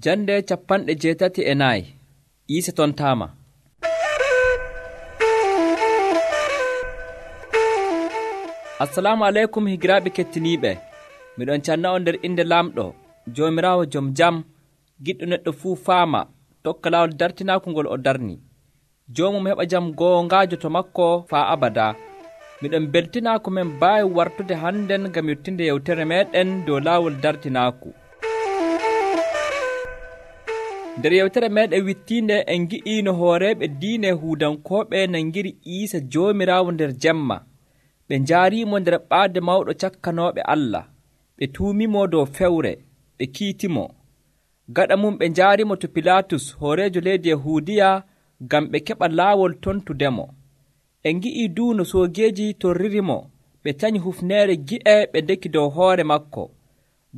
Jande 84 Iisa tontaama. Assalamu aleykum higiraaɓe kettiniiɓe. Miɗon canna on nder inde Laamɗo, Joomiraawo jom jam, giɗɗo neɗɗo fuu faama, tokka laawol dartinaaku ngol o darni. Joomum heɓa jam goongaajo to makko faa abadaa. Miɗon beltinaa ko men mbaawi wartude hannden ngam yottinde yewtere meeɗen dow laawol dartinaaku. Nder yewtere meeɗen wittiinde en ngi'ii no hooreeɓe diine Yahuudankooɓe nangiri Iisa Joomiraawo nder jemma. Ɓe njaariimo nder ɓaade mawɗo cakkanooɓe Allah. Ɓe tuumimo dow fewre, ɓe kiitimo. Gaɗa mum ɓe njaarimo to Pilaatus hooreejo leydi Yahuudiya ngam ɓe keɓa laawol tontudemo. En ngi'ii duu no soogeeji torririmo, ɓe tanyi hufneere gi'e ɓe ndeki dow hoore makko.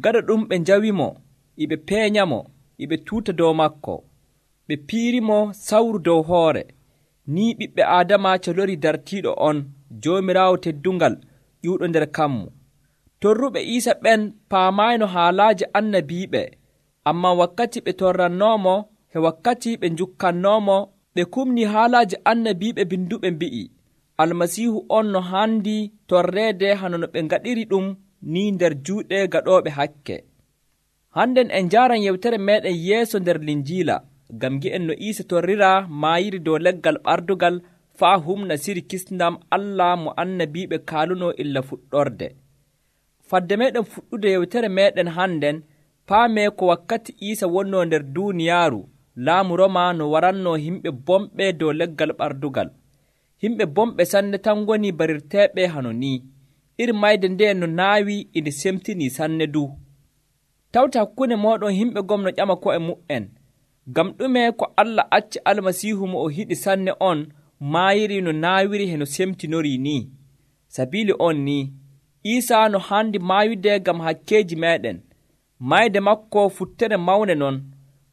Gaɗa ɗum ɓe njawimo, iɓe peeñamo, iɓe tuuta dow makko. Ɓe piirimo sawru dow hoore. Ni ɓiɓɓe Aadama colori dartiiɗo on, Joomiraawo teddungal ƴuuɗo nder kammu. Torruɓe Iisa ɓen paamayno haalaaji annabiiɓe, ammaa wakkati ɓe torrannoomo e wakkati ɓe njukkannoomo, ɓe kumni haalaaji annabiiɓe binduɓe mbi'i, Almasiihu on no haandi torreede hano no ɓe ngaɗiri ɗum ni nder juuɗe gaɗooɓe hakke. Hannden en njaaran yewtere meeɗen yeeso nder Linjiila, ngam ngi'en no Iisa torriraa maayiri dow leggal ɓardugal faa humna siri kisndam Allah mo annabiiɓe kaalunoo illa fuɗɗorde. Fadde meeɗen fuɗɗude yewtere meeɗen hannden, paamee ko wakkati Iisa wonnoo nder duuniyaaru, laamu Roma no warannoo yimɓe bomɓe dow leggal ɓardugal. Yimɓe bomɓe sanne tan ngoni barirteeɓe hano ni. Iri mayde nde no naawi inde semtinii sanne du. Tawta hakkunde mooɗon yimɓe gomno ƴama ko'e mu'en. Ngam ɗume ko Allah acci Almasiihu mo o hiɗi sanne on maayiri no naawiri he no semtinorii ni? Sabiili on ni, Iisa no haandi maayude ngam hakkeeji meeɗen. Mayde makko futtere mawne non.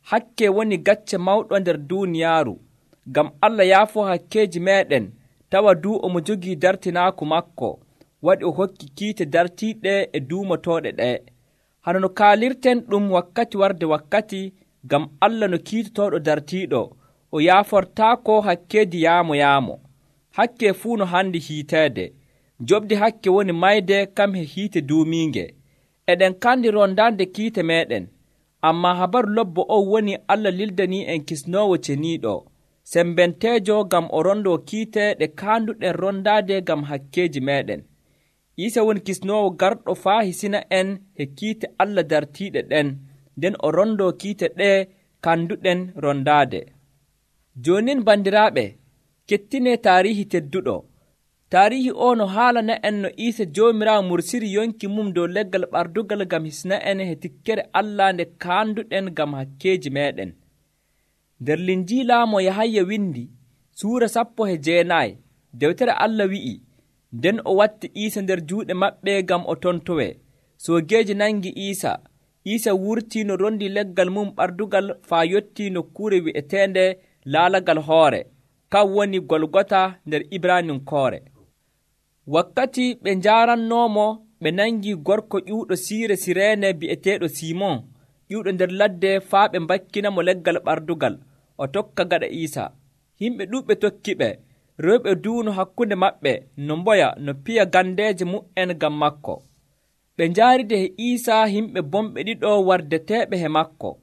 Hakke woni gacce mawɗo nder duuniyaaru. Ngam Allah yaafoo hakkeeji meeɗen, tawa duu omo jogii dartinaaku makko, waɗi o hokki kiite dartiiɗe e duumotooɗe ɗee. Hano no kaalirten ɗum wakkati warde wakkati, ngam Allah no kiitotooɗo dartiiɗo, o yaafortaako hakkeeji yaamo. Hakke fuu no handi hiiteede. Jobdi hakke woni mayde kam he hiite duumiinge. Eɗen kandi rondaande kiite meeɗen. Ammaa habaru lobbo on woni Allah lildanii en kisnoowo ceniiɗo, sembenteejo ngam o rondoo kiite ɗe kaanduɗen rondaade ngam hakkeeji meeɗen. Iisa woni kisnoowo garɗo faa hisina en he kiite Allah dartiiɗe ɗen, nden o rondoo kiite ɗee kanduɗen rondaade. Joonin bandiraaɓe, kettinee taariihi tedduɗo. Taariihi o no haalana en no Iisa Joomiraawo mursiri yonki mum dow leggal ɓardugal ngam hisna en he tikkere Allah nde kaanduɗen ngam hakkeeji meeɗen. Nder Linjiila mo Yahaya windi, suura 19, dewtere Allah wi'i, nden o watti Iisa nder juuɗe maɓɓe ngam o tontowe. Soogeeji nangi Iisa. Iisa wurtii no rondi leggal mum ɓardugal faa yottii nokkuure wi'eteende laalagal hoore, kan woni Golgota nder Ibraninkoore. Wakkati ɓe njaarannoomo, ɓe nangi gorko ƴuuɗo siire Sireene bi'eteeɗo Simon, ƴuuɗo nder ladde faa ɓe mbakkinamo leggal ɓardugal, o tokka gaɗa Iisa. Yimɓe ɗuuɓɓe tokkiɓe, rewɓe duuno hakkunde maɓɓe no mboya no piya gandeeje mu'en ngam makko. Ɓe njaaride he Iisa yimɓe bomɓe ɗiɗo wardeteeɓe he makko.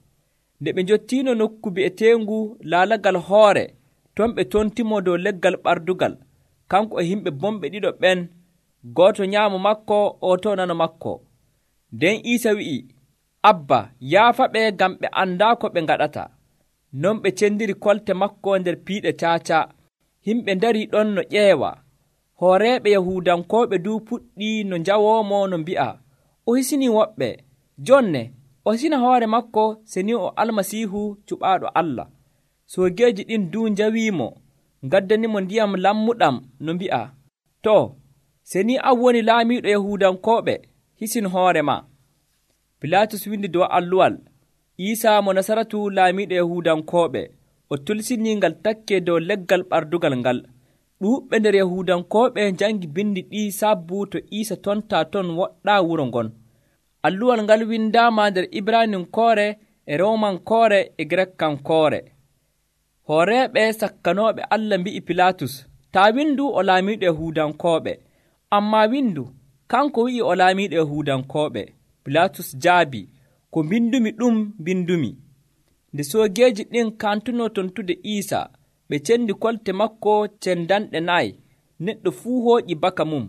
Nde ɓe njottiino nokku bi'eteengu laalagal hoore, ton ɓe tontimo dow leggal ɓardugal, kanko e yimɓe bomɓe ɗiɗo ɓen, gooto nyaamo makko, oto nano makko. Nden Iisa wi'i, Abba, yaafaɓe ngam ɓe andaa ko ɓe ngaɗata. Non ɓe cendiri kolte makko nder piiɗe caaca. Yimɓe ndarii ɗon no ƴeewa. Hooreeɓe Yahuudankooɓe duu puɗɗii no njawoomo no mbi'a, o hisinii woɓɓe. Jonne, o hisina hoore makko seni o Almasiihu cuɓaaɗo Allah. Soogeeji ɗin duu njawiimo, ngaddanimo ndiyam lammuɗam no mbi'a, too, seni an woni laamiiɗo Yahuudankooɓe, hisin hoore ma. Pilaatus windi dow alluwal, Iisa mo Nasaratu laamiiɗo Yahuudankooɓe. O tulsinii ngal takke dow leggal ɓardugal ngal. Ɗuuɓɓe nder Yahuudankooɓe njangi bindi ɗi sabbu to Iisa tontaa ton woɗɗaa wuro ngon. Alluwal ngal windaama nder Ibraninkoore e Romankoore e Grekkankoore. Hooreeɓe sakkanooɓe Allah mbi'i Pilaatus, taa windu o laamiiɗo Yahuudankooɓe. Ammaa windu, kanko wi'i o laamiiɗo Yahuudankooɓe. Pilaatus jaabi, ko mbindumi ɗum mbindumi. Nde soogeeji ɗin kantunoo tontude Iisaa, ɓe cendi kolte makko cendanɗe 4. Neɗɗo fuu hooƴi baka mum.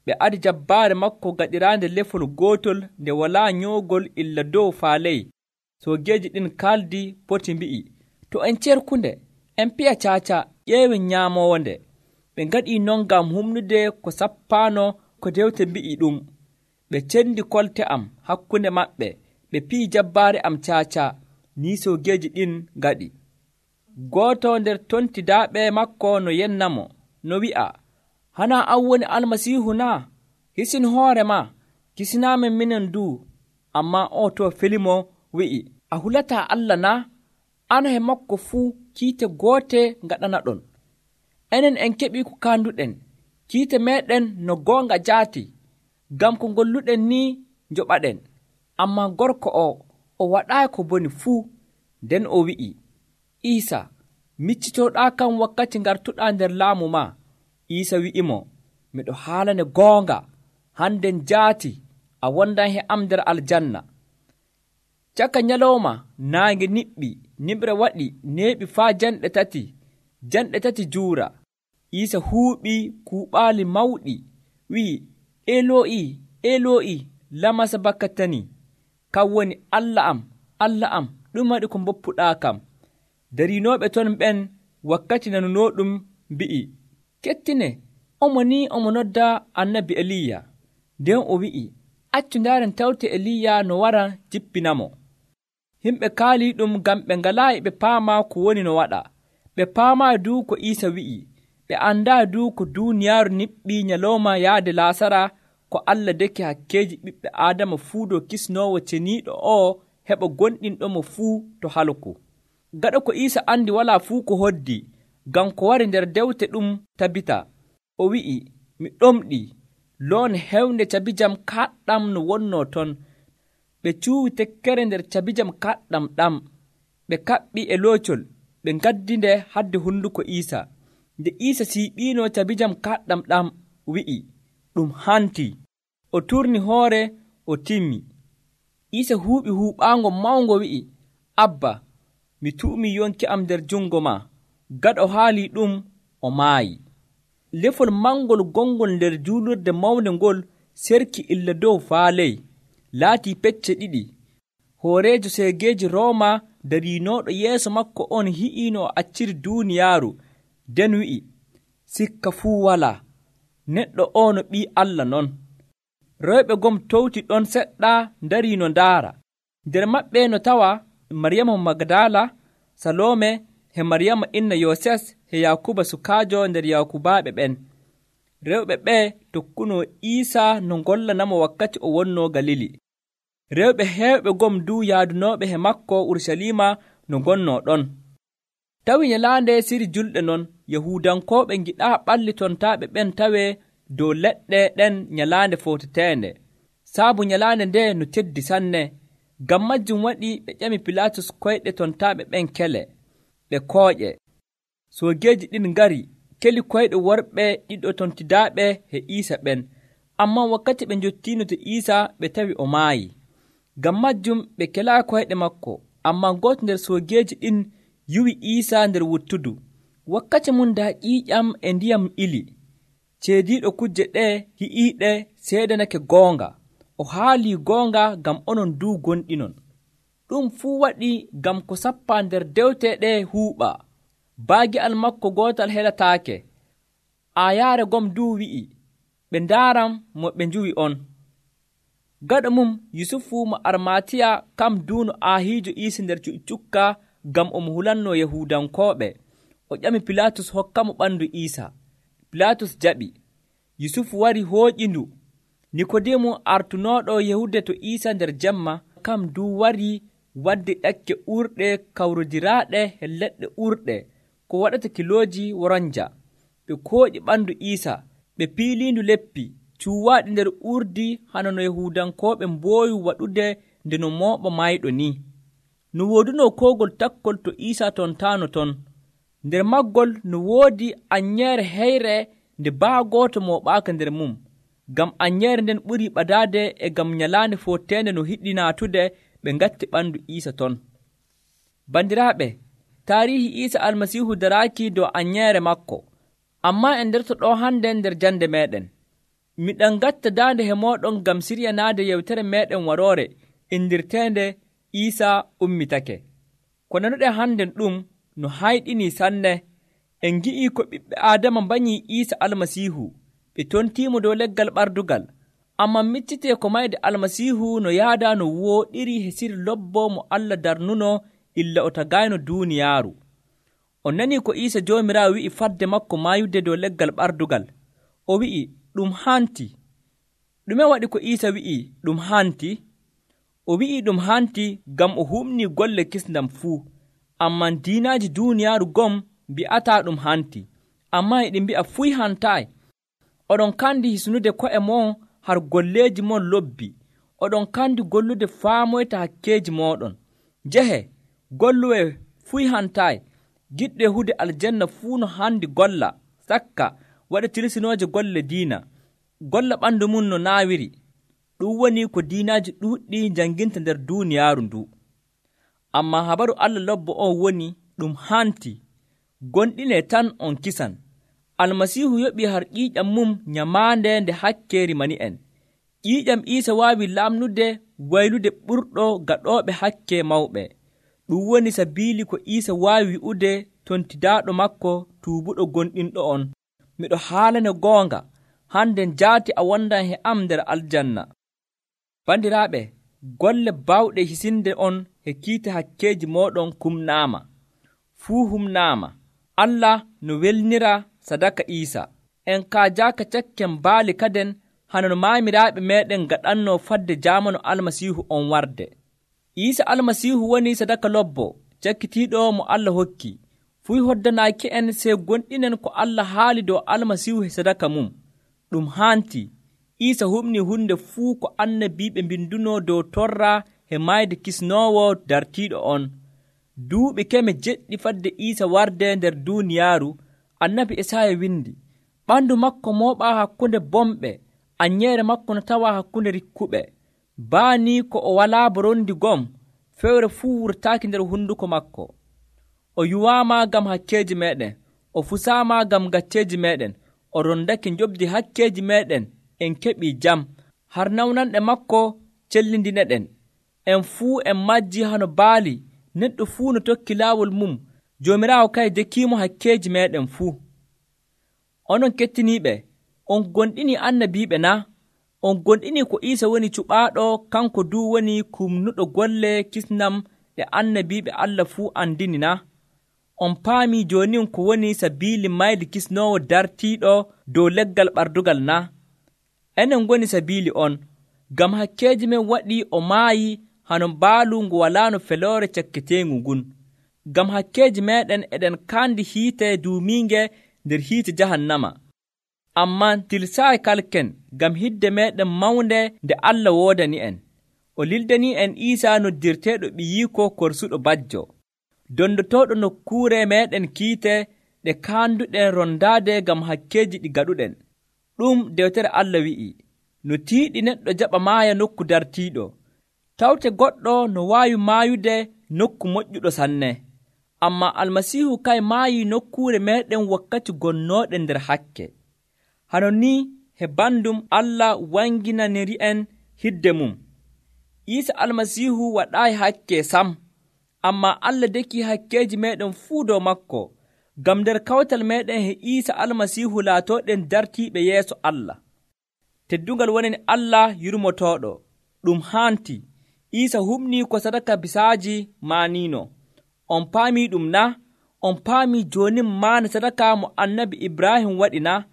Ɓe adi jabbaare makko gaɗiraande lefol gootol nde walaa nyoogol illa dow faa ley. Soogeeji ɗin kaaldi poti mbi'i, to en cerkunde, en piya caaca, ƴeewen nyaamowonde. Ɓe ngaɗii non ngam humnude ko sappaano ko dewte mbi'i ɗum. Ɓe cendi kolte am hakkunde maɓɓe, ɓe piyi jabbaare am caaca. Ni soogeeji ɗin ngaɗi. Gooto nder tontidaaɓe makko no yennamo, no wi'a, hanaa an woni Almasiihu naa? Hisin hoore ma, kisinaamen minen duu. Ammaa o to felimo wi'i, a hulataa Allah naa? An he makko fuu kiite goote ngaɗanaɗon. Enen en keɓii ko kaanduɗen, kiite meeɗen no goonga jaati, ngam ko ngolluɗen ni njoɓaɗen. Ammaa gorko o waɗaayi ko boni fuu. Nden o wi'i, Iisa, miccitooɗaa kam wakkati ngartuɗaa nder laamu ma. Iisa wi'imo, miɗo haalane goonga, hannden jaati a wondan he am nder aljanna. Caka nyalawma naange niɓɓi, nimre waɗi neeɓi faa janɗe tati juura. Iisa huuɓi kuuɓaali mawɗi, wi'i, Eloo'i, Eloo'i, lama sabaktani, kam woni Allah am, ɗum waɗi ko mboppuɗaa kam. Dariinooɓe ton ɓen wakkati nanunooɗum mbi'i, kettine, omo nodda annabi Eliya. Nden o wi'i, accu ndaaren tawte Eliya no wara jippinamo. Himɓe kaalii ɗum ngam ɓe ngalaayi ɓe paama ko woni no waɗa. Ɓe paamaayi duu ko Iisa wi'i. Ɓe anndaa duu ko duuniyaaru niɓɓii nyalawma yahde laasara ko Allah deki hakkeeji ɓiɓɓe Aadama fuu dow kisnoowo ceniiɗo o heɓa gonɗinɗomo fuu to halku. Gaɗa ko Iisa andi walaa fuu ko hoddi, ngam ko wari nder dewte ɗum tabita. O wi'i, mi ɗomɗii, loone hewnde cabijam kaɗɗam no wonnoo ton. Ɓe cuuwi tekkere nder cabijam kaɗɗam ɗam. Ɓe kaɓɓi e loocol, ɓe ngaddinde hadde hunduko Iisa. Nde Iisa siiɓiino cabijam kaɗɗam ɗam, wi'i, ɗum hantii. O turni hoore, o timmi. Iisa huuɓi huuɓaango mawngo wi'i, Abba, mi tu'umii yonki am nder jungo ma. Gaɗa o haalii ɗum, o maayi. Lefol mangol gongol nder juulurde mawnde ngol serki illa dow faa ley, laatii pecce 2. Hooreejo seegeeji Rooma dariinooɗo yeeso makko on hi'iino o acciri duuniyaaru, nden wi'i, sikka fuu walaa, neɗɗo o no ɓii Allah non. Rewɓe gom towti ɗon seɗɗa ndariino ndaara. Nder maɓɓe no tawa Maryama Magdala, Salome, he Maryama inna Yooses, he Yakuba sukaajo nder Yakubaaɓe ɓen. Rewɓe ɓe tokkunoo Iisa no ngollanamo wakkati o wonnoo Galili. Rewɓe heewɓe gom duu yaadunooɓe he makko Urusalima no ngonnoo ɗon. Tawi nyalaande siri julɗe non, Yahuudankooɓe ngiɗaa ɓallitontaaɓe ɓen tawee dow leɗɗe ɗen nyalaande footeteende. Saabu nyalaande nde no teddi sanne. Ngam majjum waɗi ɓe ƴami Pilaatus koyɗe tontaaɓe ɓen kele, ɓe kooƴe. Soogeeji ɗin ngari, keli koyɗe worɓe ɗiɗo tontidaaɓe he Iisa ɓen. Ammaa wakkati ɓe njottiino to Iisa ɓe tawi o maayi. Ngam majjum ɓe kelaayi koyɗe makko. Ammaa gooto nder soogeeji ɗin yuwi Iisa nder wuttudu. Wakkati mum daa ƴiiƴam e ndiyam ili. Ceediiɗo kujje ɗe hi'iiɗe seedanake goonga. O haalii goonga ngam onon duu gonɗinon. Ɗum fuu waɗi ngam ko sappaa nder dewte ɗe huuɓa. Baagi'al makko gootal helataake. Aayaare gom duu wi'i, ɓe ndaaram mo ɓe njuwi on. Gaɗa mum Yusufu mo Armatiya kam duuno aahiijo Iisa nder cu'i cukka ngam omo hulannoo Yahuudankooɓe. O ƴami Pilaatus hokkamo ɓandu Iisa. Pilaatus jaɓi. Yusufu wari hooƴindu. Nikodeemu artunooɗo yahude to Iisa nder jemma kam duu wari wadde ƴakke urɗe kawrodiraaɗe he leɗɗe urɗe ko waɗata kilooji woronja. Ɓe kooƴi ɓandu Iisa, ɓe piiliindu leppi cuuwaaɗi nder urdi hana no Yahuudankooɓe mboowi waɗude nde no mooɓa maayɗo ni. no wooduno koogol takkol to Iisa tontaano ton. Nder maggol no woodi anyeere heyre nde baagooto mooɓaaka nder mum, ngam anyeere nden ɓurii ɓadaade e ngam nyalaande fotteende no hiɗi naatude ɓe ngatti ɓandu Iisa ton. Bandiraaɓe, taariihi Iisa Almasiihu daraaki dow anyeere makko, ammaa en nderto ɗo hande nder jande meeɗen. Miɗen ngatta daande he mooɗon ngam siryanaade yewtere meeɗen waroore indirteende Iisa ummitake. Ko nanuɗen hannden ɗum no hayɗinii sanne. En ngi'ii ko ɓiɓɓe Aadama mbanyii Iisa Almasiihu, ɓe tontiimo dow leggal ɓardugal, ammaa miccitee ko mayde Almasiihu no yaadaa no wooɗiri he siri lobbo mo Allah darnuno illa o tagayno duuniyaaru. On nanii ko Iisa Joomiraawo wi'i fadde makko maayude dow leggal ɓardugal. O wi'i ɗum hanti. Ɗume waɗi ko Iisa wi'i ɗum hanti? O wi'i ɗum hanti ngam o humnii golle kisndam fuu, ammaa diinaaji duuniyaaru gom mbi'ataa ɗum hanti, ammaa e ɗi mbi'a fuy hantaayi. Oɗon kandi hisnude ko'e mon har golleeji mon lobbi. Oɗon kandi gollude faamoyta hakkeeji mooɗon. Njehe, golluwe fuy hantaayi. Giɗɗo yahude aljanna fuu no handi golla, sakka waɗa tilsinooje golle diina, golla ɓandu mum no naawiri. Ɗum woni ko diinaaji ɗuuɗɗi janginta nder duuniyaaru ndu. Ammaa habaru Allah lobbo on woni ɗum hanti, gonɗinee tan on kisan. Almasiihu yoɓii har ƴiiƴam mum nyamaande nde hakkeeri mani en. Ƴiiƴam Iisa waawi laamnude waylude ɓurɗo gaɗooɓe hakke mawɓe. Ɗum woni sabiili ko Iisa waawi wi'ude tontidaaɗo makko tuubuɗo gonɗinɗo on, miɗo haalane goonga, hande jaati a wondan he am nder aljanna. Bandiraaɓe, golle baawɗe hisinde on he kiite hakkeeji mooɗon kumnaama. Fuu humnaama. Allah no welnira sadaka Iisa. En kaajaaka cakken baali kaden hana no maamiraaɓe meeɗen gaɗanno fadde jaamanu Almasiihu on warde. Iisa Almasiihu woni sadaka lobbo cakkitiiɗo mo Allah hokki. Fuy hoddanaaki en sey gonɗinen ko Allah haali dow Almasiihu he sadaka mum. Ɗum hanti. Iisa humni hunde fuu ko annabiiɓe mbinduno dow torra he mayde kisnoowo dartiiɗo on. Duuɓi keme jeɗɗi fadde Iisa warde nder duuniyaaru, annabi Esaaya windi, ɓandu makko mooɓaa hakkunde bomɓe, anyeere makko no tawaa hakkunde rikkuɓe. Baani ko o walaa borondi gom, fewre fuu wurtaaki nder hunduko makko. O yuwaama ngam hakkeeji meeɗen, o fusaama ngam gacceeji meeɗen, o rondake njobdi hakkeeji meeɗen, en keɓii jam. Har nawnanɗe makko cellindine-ɗen. En fuu en majji hano baali, neɗɗo fuu no tokki laawol mum, Joomiraawo kay dekiimo hakkeeji meeɗen fuu. Onon kettiniiɓe, on gonɗinii annabiiɓe na? On gonɗinii ko Iisa woni cuɓaaɗo, kanko duu woni kumnuɗo golle kisnam ɗe annabiiɓe Allah fuu andini na? On paamii joonin ko woni sabiili mayde kisnoowo dartiiɗo dow leggal ɓardugal na? Enen ngoni sabiili on, ngam hakkeeji men waɗi o maayi hano mbaalu ngu walaano feloore cakketeengu ngun. Ngam hakkeeji meeɗen eɗen kaandi hiite duumiinge nder hiite jahannama. Ammaa tilsaayi kalken ngam hidde meeɗen mawnde nde Allah woodani en. O lildanii en Iisa noddirteeɗo ɓiyiiko korsuɗo bajjo, dondotooɗo nokkuure meeɗen kiite ɗe kaanduɗen rondaade ngam hakkeeji ɗi gaɗuɗen. Ɗum dewtere Allah wi'i, no tiiɗi neɗɗo jaɓa maaya nokku dartiiɗo, tawte goɗɗo no waawi maayude nokku moƴƴuɗo sanne. Ammaa Almasiihu kay maayii nokkuure meeɗen wakkati gonnooɗen nder hakke. Hano ni he bandum Allah wanginaniri'en hidde mum. Iisa Almasiihu waɗaayi hakke sam, ammaa Allah deki hakkeeji meeɗen fuu dow makko, ngam nder kawtal meeɗen he Iisa Almasiihu laatooɗen dartiiɓe yeeso Allah. Teddungal wonani Allah yurmotooɗo. Ɗum hanti. Iisa humnii ko sadaka bisaaji maaniino. On paamii ɗum na? On paamii joonin maana sadaka mo annabi Ibrahim waɗi na?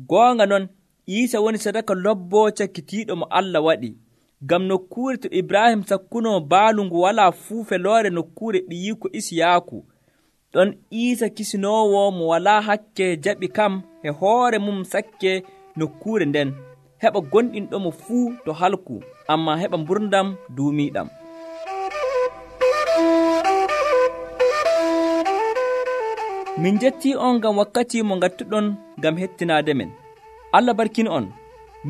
Goonga non, Iisa woni sadaka lobbo cakkitiiɗo mo Allah waɗi. Ngam nokkuure to Ibrahim sakkunoo baalu ngu walaa fuu feloore nokkuure ɓiyiiko Isiyaaku, ɗon Iisa kisinoowo mo walaa hakke jaɓi kam e hoore mum sakke nokkuure nden, heɓa gonɗinɗomo fuu to halku, ammaa heɓa mburdam duumiiɗam. Min jettii on ngam wakkati mo ngattuɗon ngam hettinaade men. Allah barkin on.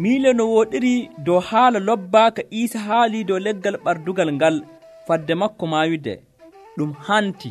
Miile no wooɗiri dow haala lobbaa ka Iisa haali dow leggal ɓardugal ngal fadde makko maayude. Ɗum hanti.